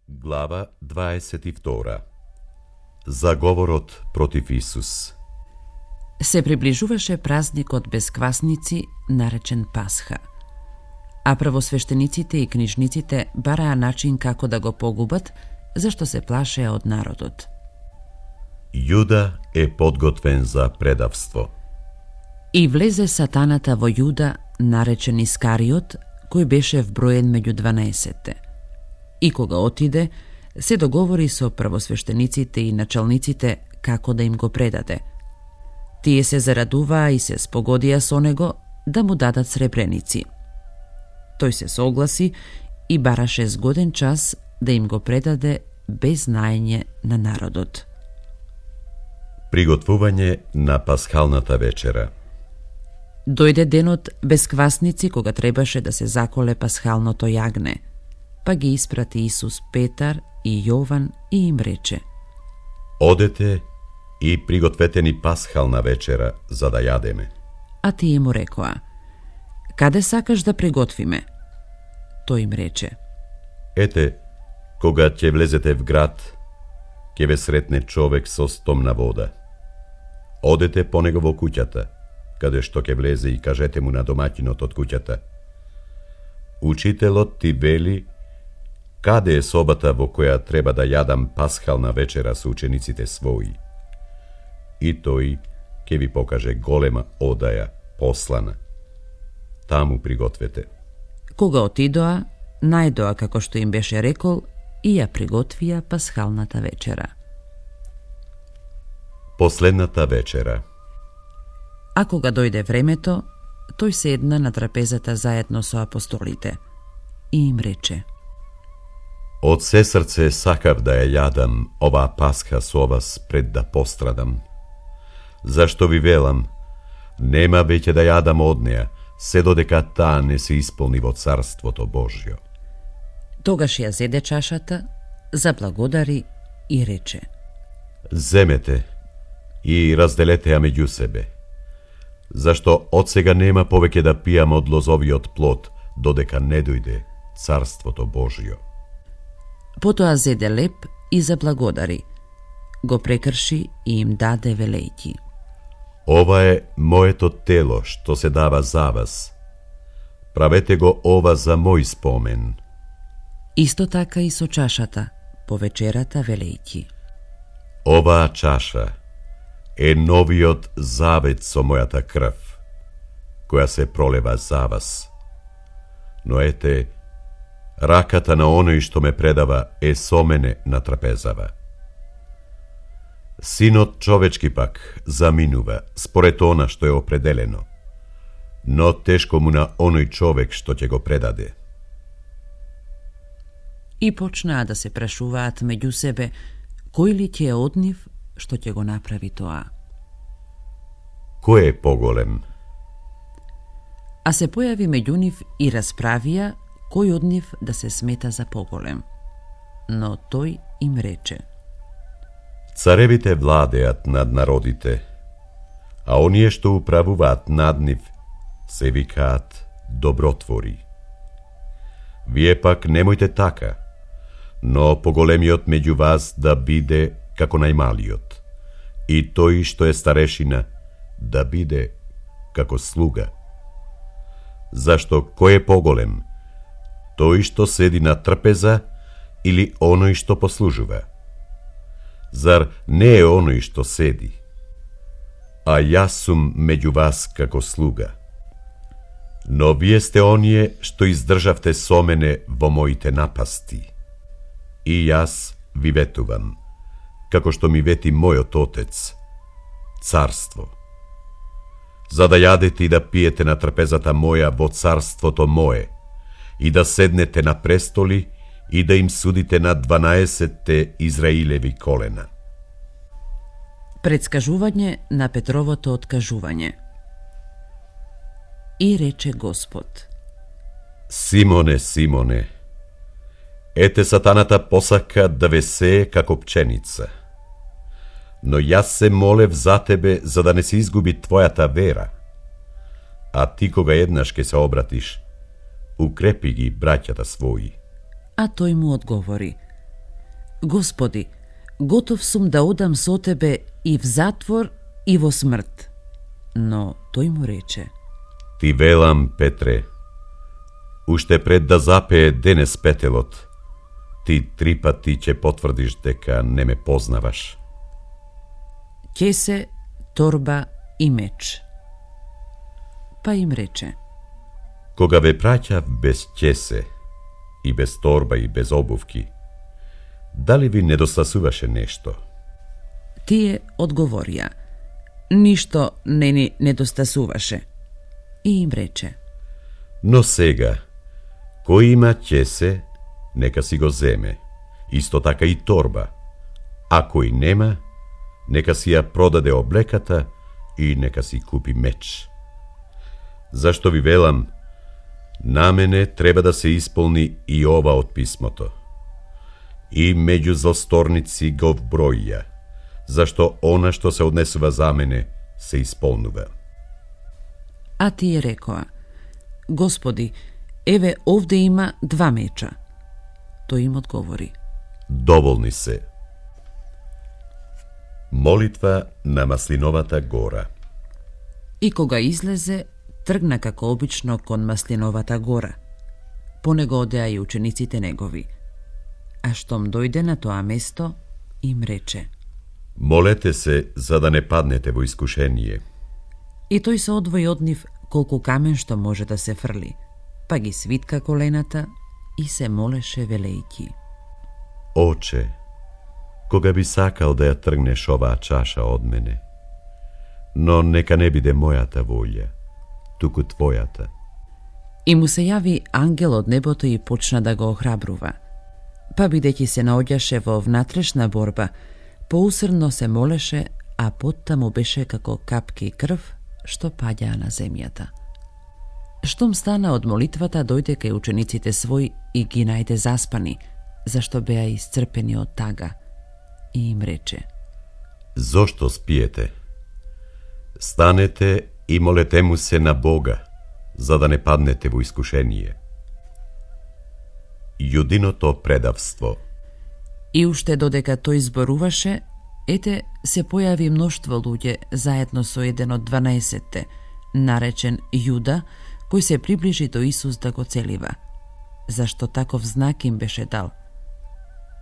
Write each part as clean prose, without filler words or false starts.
Глава 22. Заговорот против Исус. Се приближуваше празникот без квасници, наречен Пасха. А првосвештениците и книжниците бараа начин како да го погубат, зашто се плашеа од народот. Јуда е подготвен за предавство. И влезе сатаната во Јуда, наречен Искариот, кој беше вброен меѓу 12. И кога отиде, се договори со првосвештениците и началниците како да им го предаде. Тие се зарадуваа и се спогодија со него да му дадат сребреници. Тој се согласи и бараше згоден час да им го предаде без знаење на народот. Приготвување на пасхалната вечера. Дојде денот без квасници кога требаше да се заколе пасхалното јагне, па ги испрати Исус Петар и Јован и им рече: Одете и пригответе ни пасхална вечера за да јадеме. А тие му рекоа: Каде сакаш да приготвиме? Тој им рече: Ете, кога ќе влезете в град, ќе ве сретне човек со стомна вода. Одете по него во куќата, каде што ќе влезе и кажете му на домаќинот од куќата: Учителот ти вели, каде е собата во која треба да јадам пасхална вечера со учениците своји? И тој ќе ви покаже голема одаја, послана. Таму пригответе. Кога отидоа, најдоа како што им беше рекол и ја приготвија пасхалната вечера. Последната вечера. А кога дојде времето, тој седна на трапезата заедно со апостолите и им рече: Од се срце сакав да ја јадам оваа пасха со вас пред да пострадам. Зашто ви велам, нема веќе да јадам од неа, се додека таа не се исполни во Царството Божјо. Тогаш ја зеде чашата, заблагодари и рече: Земете и разделете ја меѓу себе, зашто од сега нема повеќе да пијам од лозовиот плод, додека не дојде Царството Божјо. Потоа зеде леп и заблагодари, го прекрши и им даде велејќи: Ова е моето тело што се дава за вас. Правете го ова за мој спомен. Исто така и со чашата, по вечерата велејќи: Оваа чаша е новиот завет со мојата крв, која се пролева за вас. Но ете, раката на оној што ме предава е со мене на трапезава. Синот човечки пак заминува според она што е определено, но тешко му на оној човек што ќе го предаде. И почнаа да се прашуваат меѓу себе кој ли ќе е од нив што ќе го направи тоа. Кој е поголем? А се појави меѓу нив и расправија кој од нив да се смета за поголем. Но тој им рече: Царевите владеат над народите, а оние што управуваат над нив се викаат добротвори. Вие пак немојте така, но поголемиот меѓу вас да биде како најмалиот, и тој што е старешина да биде како слуга. Зашто кој е поголем? Тој што седи на трпеза или оној што послужува? Зар не е оној што седи? А јас сум меѓу вас како слуга. Но вие сте оние што издржавте со мене во моите напасти. И јас ви ветувам, како што ми вети мојот Отец, царство. За да јадете и да пиете на трпезата моја во царството мое, и да седнете на престоли и да им судите на 12 Израилеви колена. Предскажување на Петровото откажување. И рече Господ: Симоне, Симоне, ете сатаната посака да ве сее како пченица. Но јас се молев за тебе за да не се изгуби твојата вера. А ти кога еднаш ке се обратиш, укрепи ги браќата своји. А тој му одговори: Господи, готов сум да одам со тебе и в затвор и во смрт. Но тој му рече: Ти велам, Петре, уште пред да запее денес петелот, ти 3 пати ќе потврдиш дека не ме познаваш. Кесе, торба и меч. Па им рече: Кога ве праќав без кесе и без торба и без обувки, дали ви недостасуваше нешто? Тие одговорија: Ништо не ни недостасуваше. И им рече: Но сега, кој има кесе, нека си го земе, исто така и торба, а кој нема, нека си ја продаде облеката и нека си купи меч. Зашто ви велам, на мене треба да се исполни и ова од писмото. И меѓу злосторници го вброија, зашто она што се однесува за мене се исполнува. А тие рекоа: Господи, еве овде има 2 меча. Тој им одговори: Доволни се. Молитва на Маслиновата гора. И кога излезе, тргна како обично кон Маслиновата гора. По него одеа и учениците негови. А штом дојде на тоа место, им рече: Молете се за да не паднете во искушение. И тој се одвои од нив колку камен што може да се фрли, па ги свитка колената и се молеше велејќи: Оче, кога би сакал да ја тргнеш оваа чаша од мене, но нека не биде мојата волја, туку твојата. И му се јави ангел од небото и почна да го охрабрува. Па бидејќи се наоѓаше во внатрешна борба, поусрдно се молеше, а потта му беше како капки крв што паѓаа на земјата. Штом стана од молитвата, дојде кај учениците свој и ги најде заспани, зашто беа исцрпени од тага, и им рече: Зошто спиете? Станете и молете му се на Бога, за да не паднете во искушение. Јудиното предавство. И уште додека тој зборуваше, ете се појави мноштво луѓе заедно со еден од 12-те, наречен Јуда, кој се приближи до Исус да го целива, зашто таков знак им беше дал: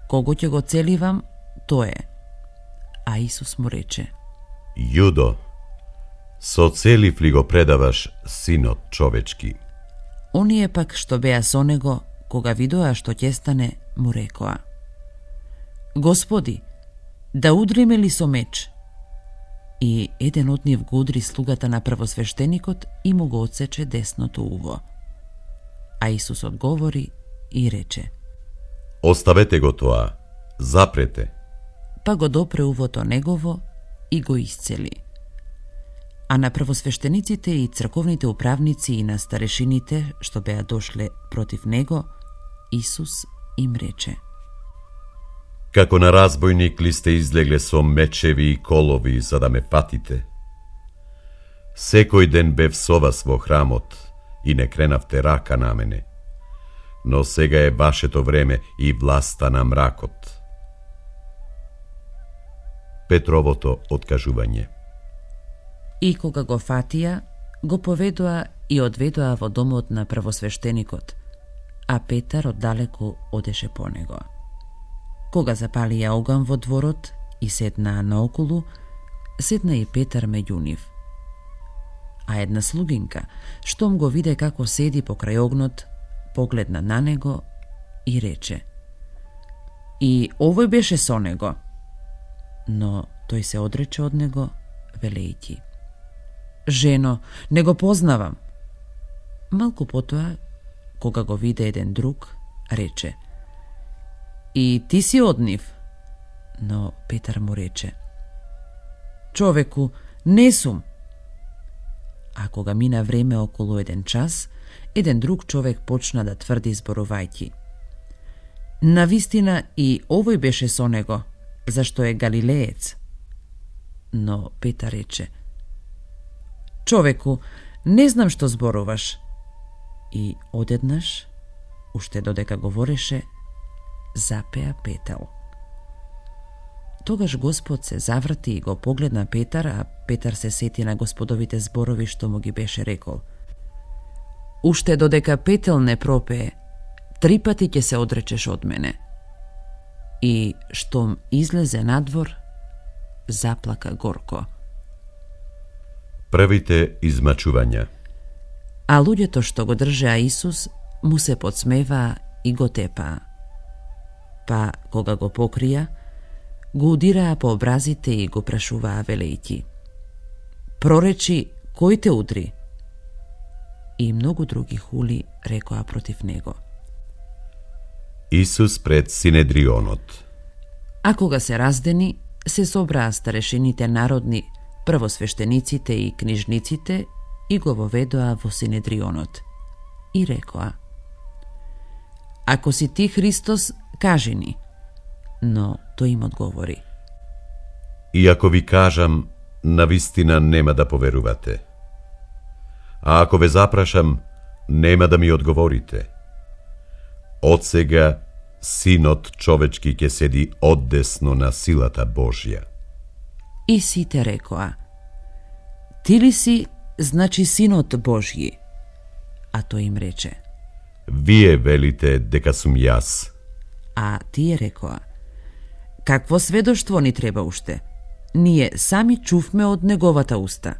Кого ќе го целивам, тој е. А Исус му рече: Јудо, со целив ли го предаваш синот човечки? Оние пак што беа со него, кога видоа што ќе стане, му рекоа: Господи, да удриме ли со меч? И еден од нив го удри слугата на првосвештеникот и му го отсече десното уво. А Исус одговори и рече: Оставете го тоа, запрете. Па го допре увото негово и го исцели. А на првосвештениците и црковните управници и на старешините што беа дошле против него, Исус им рече: Како на разбойник ли сте излегле со мечеви и колови за да ме патите? Секој ден бев со вас во храмот и не кренавте рака на мене, но сега е вашето време и власта на мракот. Петровото откажување. И кога го фатија, го поведоа и одведоа во домот на првосвештеникот, а Петар оддалеку одеше по него. Кога запалија оган во дворот и седнаа наоколу, седна и Петар меѓу нив. А една слугинка, штом го виде како седи покрај огнот, погледна на него и рече: И овој беше со него. Но тој се одрече од него, велејќи: Жено, не го познавам. Малку потоа, кога го виде еден друг, рече: И ти си од нив? Но Петар му рече: Човеку, не сум. А кога мина време околу 1 час, еден друг човек почна да тврди зборувајќи: Навистина и овој беше со него, зашто е галилеец. Но Петар рече: Човеку, не знам што зборуваш. И одеднаш, уште додека говореше, запеа петел. Тогаш Господ се заврти и го погледна Петар, а Петар се сети на Господовите зборови што му ги беше рекол. Уште додека петел не пропее, 3 пати ќе се одречеш од мене. И штом излезе надвор, заплака горко. Првите измачувања. А луѓето што го држеа Исус му се подсмеваа и го тепаа. Па, кога го покрија, го удираа по образите и го прашуваа велејќи: проречи, кој те удри? И многу други хули рекоа против него. Исус пред Синедрионот. А кога се раздени, се собраа старешините народни, првосвештениците и книжниците и го воведоа во Синедрионот. И рекоа: ако си ти Христос, кажи ни. Но тој им одговори: И ако ви кажам, навистина нема да поверувате. А ако ве запрашам, нема да ми одговорите. Од сега Синот човечки ќе седи оддесно на силата Божја. И сите рекоа: ти ли си, значи Синот Божји? А тој им рече: Вие велите дека сум јас. А тие рекоа: какво сведоштво ни треба уште? Ние сами чувме од неговата уста.